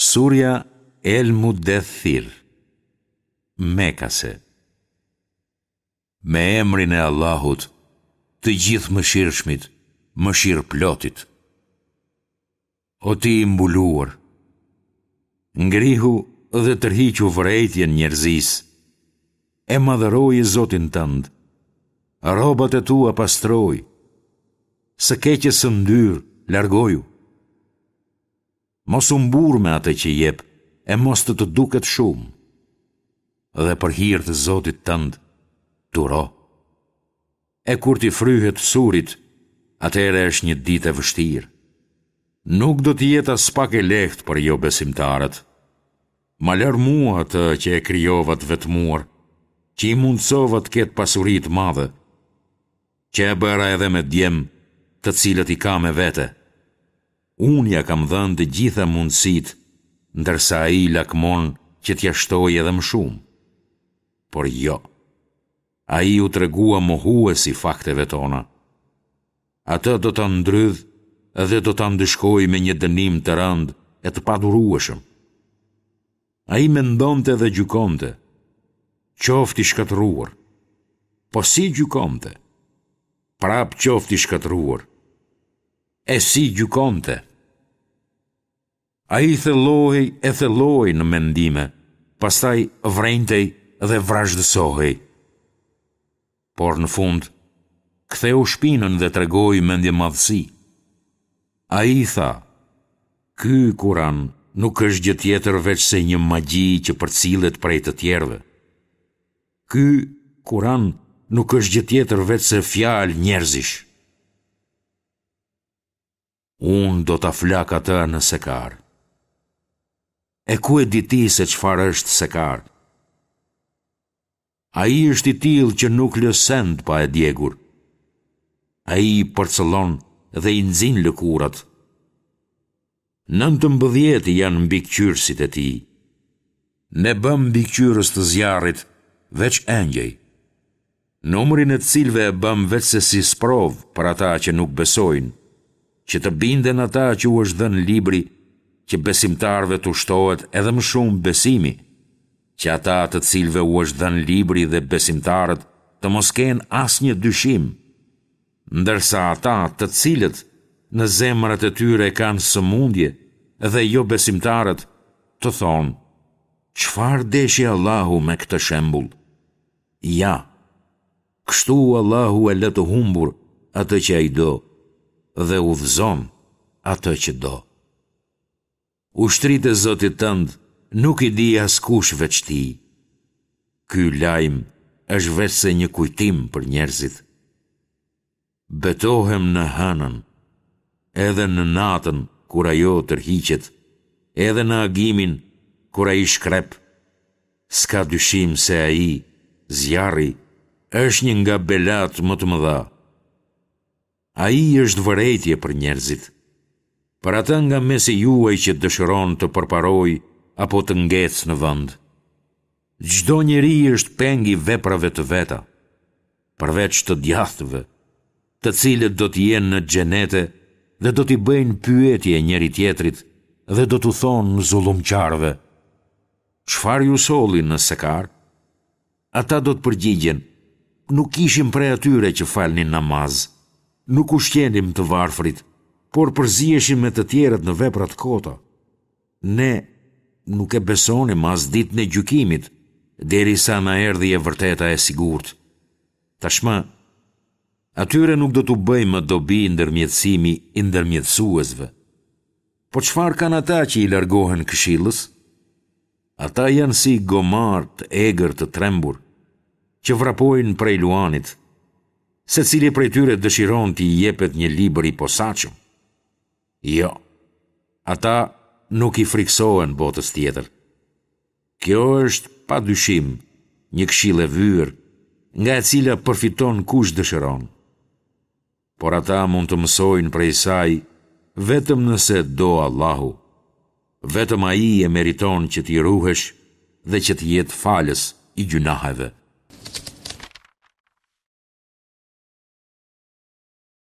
Surja El Muddethir, Mekase Me emrin e Allahut, të Gjithëmëshirshmit, Mëshirëplotit. O ti i mbuluar, ngrihu dhe tërhiqu vërejtjen njerëzisë, e madhëroje Zotin tënd, rrobat e tua pastroji, së keqes së ndyrë largoju. Mos u mburr me atë që jep e mos të të duket shumë. Dhe për hir të Zotit tënd, duro. E kur t'i fryhet surit, atëherë është një ditë e vështirë. Nuk do të jetë aspak e lehtë për jobesimtarët. Ma lër mua atë që e krijova të vetmuar, që i mundësova të ketë pasuri të madhe, që e bëra edhe me djem, të cilët i ka me vete. Unë ia kam dhënë të gjitha mundësitë, ndërsa ai lakmon që t'ia shtoj edhe më shumë. Por jo. Ai u tregua mohues i fakteve tona. Atë do ta ndrydh dhe do ta ndëshkoj me një dënim të rëndë e të padurueshëm. Ai mendonte dhe gjykonte, qoftë i shkatërruar. Po si gjykonte? Prapë qoftë i shkatërruar. E si gjykonte? Ai thellohej e thellohej në mendime, pastaj vrenjtej dhe vrazhdësohej. Por në fund, ktheu shpinën dhe tregoi mendjemadhësi. Ai tha, Ky Kuran nuk është gjë tjetër veçse një magji që përcillet prej të tjerëve. Ky Kuran nuk është gjë tjetër veçse fjalë njerëzish. Unë do ta flak atë në Sekar. E ku e di ti se çfarë është Sekar? Ai është i tillë që nuk lë send pa e djegur. Ai i përcëllon dhe i nxin lëkurat. 19 janë mbikëqyrësit e tij. Ne bëmë mbikëqyrës të zjarrit veç engjëj. Numrin e të cilëve e bëmë veçse si sprovë për ata që nuk besojnë, që të binden ata që u është dhënë libri, që besimtarëve t'u shtohet edhe më shumë besimi, që ata të cilëve u është dhënë libri dhe besimtarët të mos kenë asnjë dyshim, ndërsa ata të cilët në zemrat e tyre kanë sëmundje dhe jobesimtarët të thonë, Çfarë deshi Allahu me këtë shembull? Ja, kështu Allahu e lë të humbur atë që Ai do dhe udhëzon atë që do. Ushtritë e Zotit tënd nuk i di askush veç Tij. Ky lajm është veçse një kujtim për njerëzit. Betohem në hënën, edhe në natën kur ajo tërhiqet, edhe në agimin kur ai shkrep. S'ka dyshim se ai, zjarri, është një nga belatë më të mëdha. Ai është vërejtje për njerëzit. Për atë nga mesi juaj që dëshiron të përparojë apo të ngecë në vend. Çdo njeri është peng i veprave të veta, përveç të djathtëve, të cilët do të jenë në xhenete dhe do t'i bëjnë pyetje njëri-tjetrit dhe do t'u thonë zullumqarëve, Çfarë ju solli në Sekar? Ata do të përgjigjen, Nuk ishim prej atyre që falnin namaz, nuk ushqenim të varfrit, por përziheshim me të tjerët në vepra të kota. Ne nuk e besonim as ditën e gjykimit, derisa na erdhi e vërteta e sigurt. Tashmë, atyre nuk do t'u bëjë më dobi ndërmjetësimi i ndërmjetësuesve. Po çfarë kanë ata që i largohen këshillës? Ata janë si gomarë të egër të trembur, që vrapojnë prej luanit. Secili prej tyre dëshiron t'i jepet një libër i posaçëm. Jo, ata nuk i frikësohen botës tjetër. Kjo është, pa dyshim, një këshillë e vyer, nga e cila përfiton kush dëshiron. Por ata mund të mësojnë prej saj vetëm nëse do Allahu. Vetëm Ai e meriton që t'i ruhesh dhe që të jetë falës i gjynaheve.